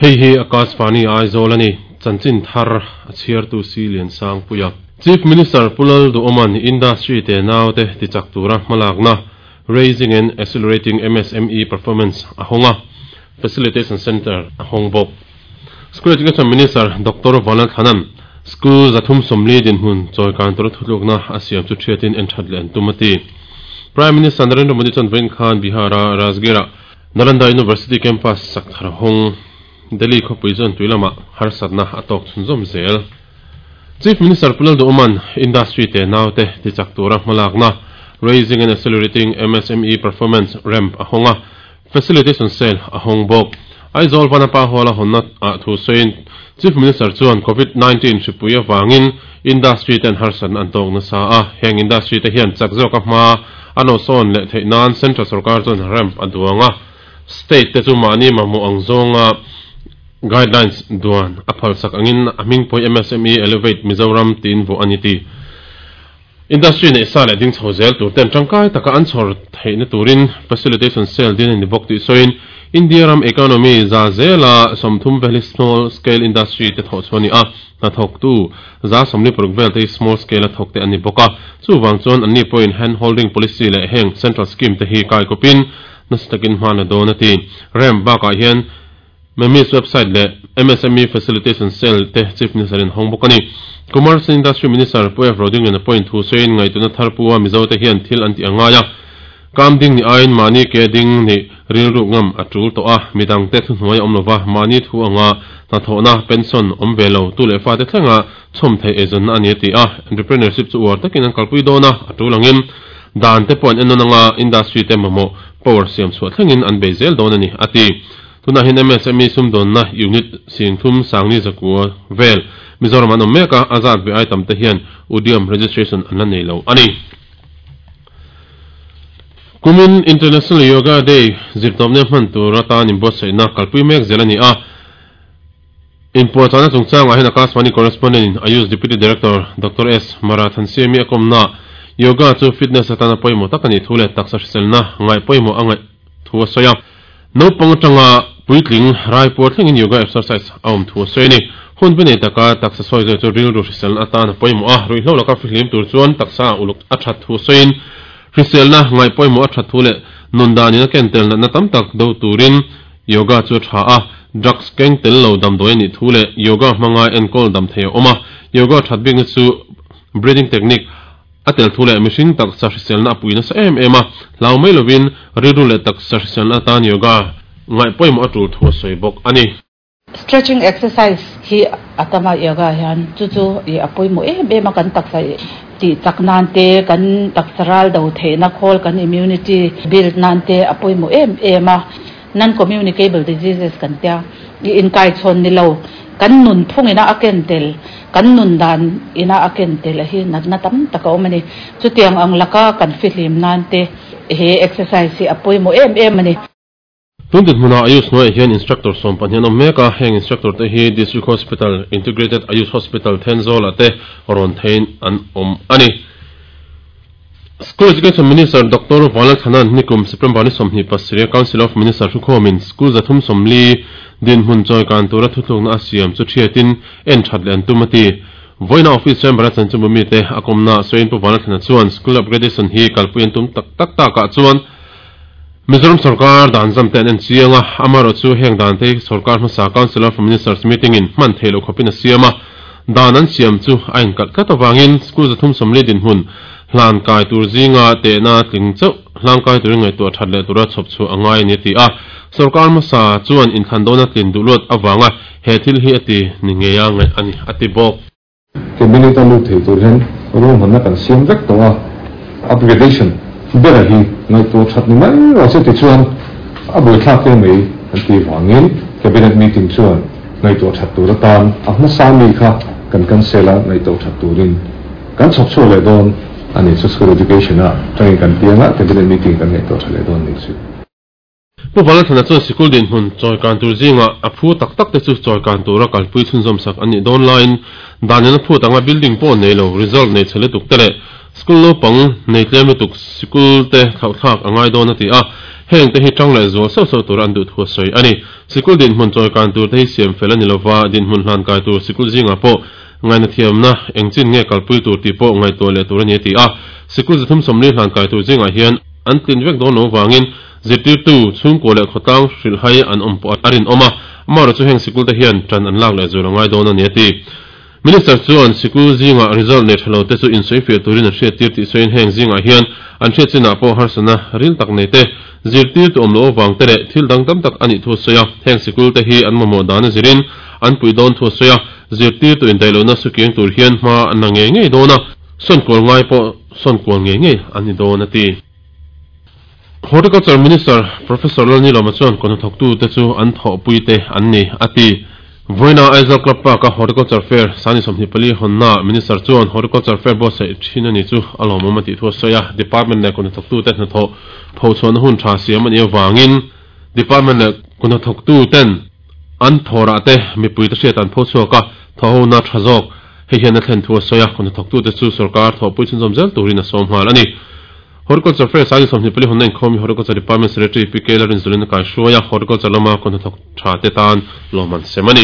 Hei hi Akashvani Aizawl a ni, chanchin thar a chhiartu Si Liansangpuia. Chief Minister Pu Lalduhawma'n Industry te naute tichak tura hmalakna Raising and Accelerating MSME Performance a hawng a, Facilitation Centre a hawng bawk. School Education Minister Doctor Vanlalthlana'n School 340 dinhmun chawikan tura thutlukna a siam chu thiatin en that leh an tum a ti. Prime Minister Narendra Modi chuan vawiin khan Bihar-a Rajgir-ah Nalanda University campus sak thar hawng Delhi khawpui chuan tui lamah harsatna a tawk chhunzawm zel. Chief Minister Pu Lalduhawma'n industry te naute tichak tura hmalakna Raising and Accelerating MSME Performance, ramp, a hawng a, Facilitation Cell a hawng bawk. Aizawl Vanapa Hall-a hawnna ah thu sawiin Chief Minister chuan Covid 19 hripui avangin industry ten harsatna an tawk nasa a, heng industry te hian chak zawka hma A nawhsawn leh theih nan Central sorkar chuan ramp a duang a, state te chu mahni mamawh ang zawnga guidelines duan a phalsak angin a hming pawih MSME Elevate Mizoram tiin vuah a ni ti. Industry neih sa leh ding chho zel tur ten tangkai taka an chhawr theihna turin facilitation cell din a ni bawk tih sawiin India ram economy za zela 30 vel hi small scale industry te thawh chhuah a ni a. Hnathawktu 146 vel te hi small scale a thawk te an ni bawk a, chuvang chuan anni pawhin hand holding policy leh heng central scheme te hi kaikawpin nasa takin hma la dawn a ti. Ramp bakah hian MEMIS website leh MSME Facilitation Cell te Chief Minister in hawng bawk a ni. Commerce and Industry Minister Pu F. Rodingliana pawhin thu sawiin ngaihtuahna thar pu a Mizo te hian thil an tih a ngai a, Kam ding ni aiin mahni ke ding nih rilru ngam a tul tawh a, midangte thuhnuai a awm lova, mahni thu anga hnathawhna, pension, awm ve lo, tu leh fate thlenga chhawm theih eizawnna a ni a ti a, entrepreneurship chu uar takin an kalpui dawn a, a tul angin dan te pawh an en nawn anga industry te mamawh power siam chhuah thlengin an bei zel dawn a ni a ti. Tunah hian MSME sumdawnna unit 30 900 vel Mizoram an awm mek a, a zat ve ai tam te hian Udyam registration an la nei lo a ni. Kumin International Yoga Day zirtawpna hman tur atan inbuatsaihna kalpui mek zel a ni a. Inpuahchahna chungchangah hian Akashvani Correspondent in Ayush Deputy Director Doctor S. Marathansiami a kawmna Yoga chu fitness atana pawimawh tak a nih thu leh taksa hriselna ngaih pawimawh a ngaih thu a sawi a. Naupang atanga puitling raipuar thlengin yoga exercise a awm thu a sawi a ni. Hun pe nei taka taksa sawi zawih chu rilru hriselna atan a pawimawh a, ruihhlo laka fihlim tur chuan taksa uluk a that thu sawiin hriselna ngaih pawimawh a that thu leh nun danin a ken tel natna tam tak do turin yoga chu a tha a, drugs keng tel lo damdawi a nih thu leh yoga hmanga enkawl dam thei a awm a, yoga that bikna chu breathing technique A tel thu leh mihring taksa hriselna a pui nasa em em a, hlau mai lovin rilru leh taksa hriselna atan yoga ngaih pawimawh a tul thu a sawi bawk a ni. Stretching exercise hi a tam a yoga hian chu chu i a pawimawh em em a, kan taksa tih chak nan te, kan taksa ral do theihna khawl kan immunity build nan te a pawimawh em em a. Non-communicable diseases kan tia, i inkaichhawn ni lo, kan nunphung ina a ken tel, kan nun dan ina a ken tel a hi natna tam tak a awm a ni. Chutiang ang laka kan fihlim nan te he exercise hi a pawimawh em em a ni. Tun dinhmunah Ayush hnuaiah hian instructor 12 an awm mek a, heng instructor te hi District Hospital, Integrated Ayush Hospital Thenzawl-ah te rawn theiin an awm a ni. School Education Minister Doctor Vanlalthlana'n nikum September ni 27 a Council of Minister thukhawmin school 340 dinhmun chawikan tura thutlukna a siam chu thiatin en that leh an tum a ti. Vawiina Office Chamber a chanchinbu mite a kawmna sawiin Pu Vanlalthlana chuan school upgradation hi kalpui an tum tak tak takah chuan Mizoram sorkar dan zam te an en chiang a, amaherawhchu heng dan te hi sorkar hmasa Council of Ministers meeting in hman theih loh khawpin a siam a, dan an siam chu a inkalh tlat avangin school 340 dinhmun hlan kai tur zinga tehna tling chauh hlang kai turin ngaihtuah that leh tura chhawp chhuah a ngai a ni a ti a. Sorkar hmasa chuan inthlan dawna tlin duh luat avanga he thil hi a ti ni ngei a ngaih a ni a ti bawk. Cabinet a lut thei tur hian ruahmanna kan siam vek tawh a, upgradation bera hi ngaihtuah that ni mai rawh se tichuan a buaithlak te mai an tih vangin Cabinet meeting chuan ngaihtuah that tur atan a hmasa mi kha kan cancel a, ngaihtuah that turin kan chhawp chhuak leh dawn a ni chu School Education ah tangin kan piang a, Cabinet meeting kan ngaihtuah tha leh dawn a ni chu. Pu Vanlalthlana chuan sikul dinhmun chawikan tur zingah a phu tak tak te chu chawikan tura kalpui chhunzawm sak an nih dawn laiin dan in a phut anga building pawh nei lo, result nei chhe lutuk te leh School naupang nei tlem lutuk sikul te thlauhthlak a ngai dawn a ti a, heng te hi tang leh zual sauh sauh tura an duh thu a sawi a ni. Sikul dinhmun chawi kan tur te hi siam fel a ni lova, dinhmun hlan kai tur sikul zingah pawh ngaihna thiamna eng chin nge kalpui tur tih pawh ngaihtuah leh tur a ni a ti a. Sikul 340 hlan kai tur zingah hian an tlin vek dawn lo vangin zirtirtu, chhungkua leh khawtlang hrilhhai an awm pawh a rinawm a, amaherawhchu heng sikul te hian tan an lak leh zual a ngai dawn a ni a ti. Minister chuan sikul zingah result nei tha lo te chu insawifiah turin an hriattir tih sawiin heng zingah hian an hriat chinah pawh harsatna ril tak nei te, zirtirtu awm loh avang te leh thil dang tam tak a nih thu a sawi a. Heng sikul te hi an mamawh dan a zirin an puih dawn thu a sawi a, zirtirtu indaih lohna sukiang tur hian hma an la ngei ngei dawn a, sawnkual ngai pawh sawnkual ngei ngei an ni dawn a ti. Horticulture Minister Professor Lalnilawma chuan kawhnathawktu te chu an thawhpui te an ni a ti. Vawiina Aizawl Club Park-a Horticulture Fair sani 24 hawnnaah Minister chuan Horticulture Fair buatsaih thin a ni chu a lawmawm a tih thu a sawi a. Department leh kawhnathawktu te hnathawh phochhuahna hun tha siam a nih avangin Department leh kawhnathawktu ten an thawrah te mipui te hriat an phochhuak a, thawhhona tha zawk hei hian a thlen thu a sawi a. Kawhnathawktu te chu sorkar thawhpui chhunzawm zel turin a sawm nghal a ni. Horticulture Fair sani 24 hawnna inkhawm hi Horticulture Department Secretary Pi K Larinzulin a kaihruai a, Horticulture lama kawhnathawk tha te tan lawm an sem a ni.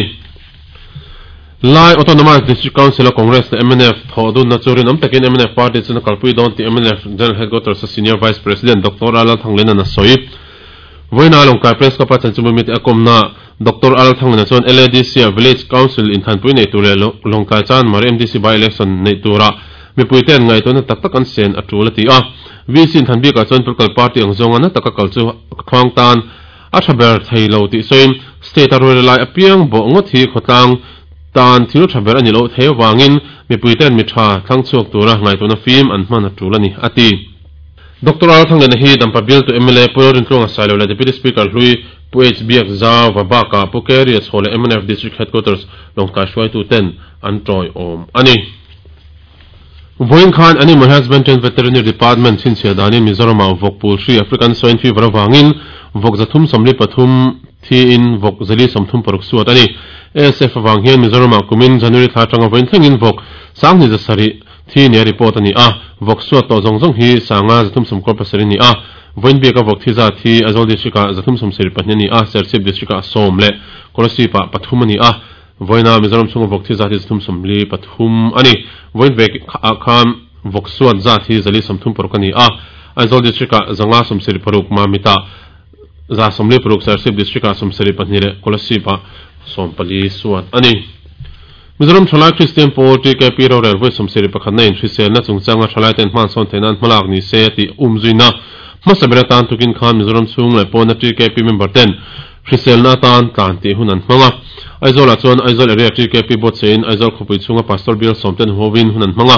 Lai Autonomous District Council a Congress leh mnf thawh dunna chu rinawm takin mnf party chuan a kalpui dawn tih mnf General Headquarters a Senior Vice President Doctor R Lalthangliana'n a sawi. Vawiina Lawngtlai Press Club a chanchinbu mite a kawmna Doctor R Lalthangliana chuan LADC a Village Council inthanpui nei tur leh Lawngtlai Chanmari MDC by-election neih turah mipuite an ngaihtuahna tak tak an sen a tul a ti a. VC inthan bikah chuan political party ang zawnga na taka kal chu khuang tan a tha ber thei lo tih sawiin state a rual lai apiang bawh ngawt hi khawtlang tan thil tha ber a ni loh thei avangin mipuite'n mi tha thlang chhuak tura ngaihtuahna fim an hman a tul a ni a ti. Doctor R Thangliana hi Dampa bialtu mla Pu Lalrintluanga Sailo leh Deputy Speaker hlui Pu H Biak Zauva bakah Pu Keria Chhaw leh mnf District Headquarters Lawngtlai hruaituten an tawiawm a ni. Vawiin khan Animal Husbandry and Veterinary Department chhinchhiah danin Mizoramah vawk pul hri African Swine Fever avangin vawk 343 thiin vawk 436 suat a ni. ASF avang hian Mizoramah kumin January thla atanga vawiin thlengin vawk 2700 thi nia report a ni a, vawk suat tawh zawng zawng hi 537 a ni a, vawiin biaka vawk thi zat hi Aizawl District-ah 372 a ni a, Serchhip District-ah 10 leh Kolasib-ah 3 a ni a, vawiina Mizoram chhunga vawk thi zat hi 343 a ni. Vawiin vek ah khan vawk suat zat hi 436 a ni a, Aizawl District-ah 576, Mamit-ah 146, Serchhip District-ah 72 leh Kolasib-ah 14 suat a ni. Mizoram Thalai Kristian Pawl, TKP, rorel vawi 71 na in hriselna chungchanga thalai ten hmansawn theih nan hmalak ni se a tih umzuina hmasa ber atan tukin khan Mizoram chhung leh pawna TKP member ten hriselna atan tlan tih hun an hmang a. Aizawl ah chuan Aizawl Area TKP buatsaih in Aizawl khawpui chhunga Pastor Bial sawm ten huauin hun an hmang a.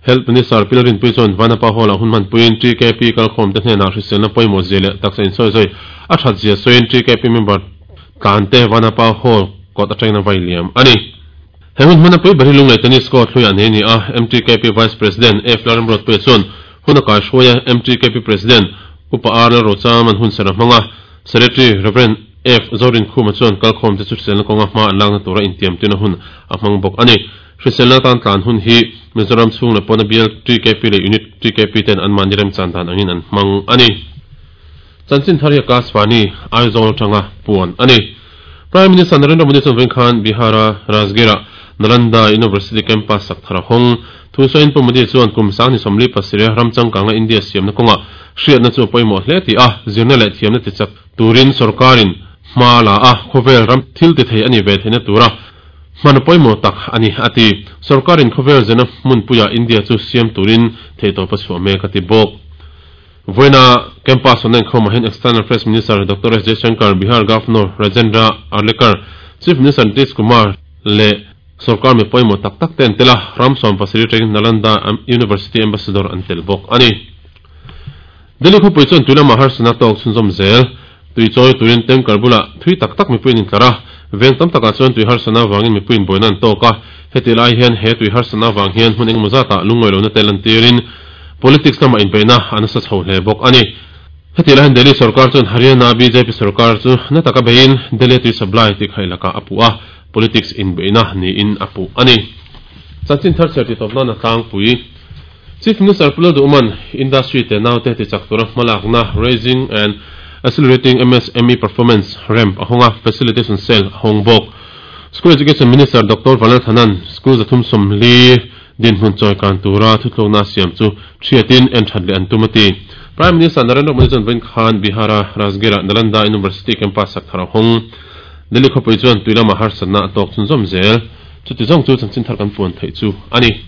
Health Minister Pi Lalrinpuii chuan Vanapa Hall ah hun hmanpuiin TKP kalkhawm te hnenah hriselna pawimawh zia leh taksa insawizawi a that zia sawiin TKP member tlan te Vanapa Hall kawt atangin a vai liam a ni. He hun hmana pui ber hi Lunglei Tennis Court hluiah nei a ni a, MTKP Vice President F Lalramruatpuia chuan hun a kaihruai a, MTKP President Upa R Lalrocham an hunserh a hmang a, Secretary Rev F Zorinkhuma chuan kalkhawm te chu hriselna kawnga hma an lakna tura intiamtirna hun a hmang bawk a ni. Hriselna atan tlan hun hi Mizoram chhung leh pawna bial TKP leh Unit TKP ten anmahni remchan dan angin an hmang a ni. Chanchin thar hi Akashvani, Aizawl atanga puan a ni. Prime Minister Narendra Modi chuan vawiin khan Bihar-a Rajgir-ah Nalanda University campus sak thar a hawng. Thu sawiin Pu Modi chuan kum 2027 ram changkanga India siamna kawngah hriatna chu a pawimawh hle tih a, zirna leh thiamna tichak turin sorkarin hma la a, khawvel ram thil ti thei a nih ve theihna tura hman pawimawh tak a ni a ti. Sorkarin khawvel zirna hmunpuiah India chu siam turin theihtawp a chhuah mek a ti bawk. Vawiina campus hawnna inkhawmah hian External Affairs Minister Doctor S Jaishankar, Bihar Governor Rajendra Arlekar, Chief Minister Nitish Kumar leh sorkar mi pawimawh tak tak te an tel a, ram 17 atangin Nalanda University Ambassador an tel bawk a ni. Delhi khawpui chuan tui lamah harsatna tawk chhunzawm zel. Tui chawi turin tanker bulah thui tak tak mipuiin intlar a, veng tam takah chuan tui harsatna avangin mipuiin buaina an tawk a. Heti lai hian he tui harsatna avang hian hmun engemaw zatah lungngawi lohna te lantirin politics lamah inbeihna a nasa chho hle bawk a ni. Heti lai hian Delhi sorkar chuan Haryana bjp sorkar chu na taka beiin Delhi tui supply tih khaih lakah a puh a, politics inbeihna niin a puh a ni. Chanchin thar chhiar tih tawp nan a tlangpui. Chief Minister Pu Lalduhman Industry tenaute tichak tura hmalakna Raising and Accelerating MSME Performance, ramp, a hawng a, Facilitation Cell a hawng bawk. School Education Minister Doctor Vanlalthanan School 340 dinhmun chawikan tura thutlukna a siam chu thiatin en that leh an tum a ti. Prime Minister Narendra Modi chuan vawiin khan Bihar-a Rajgir-ah Nalanda University campus sak thar a hawng. Delhi khawpui chuan tui lama harsatna a tawk chhunzawm zel. Chuti zawng chu chanchin thar kan puan theih chu a ni.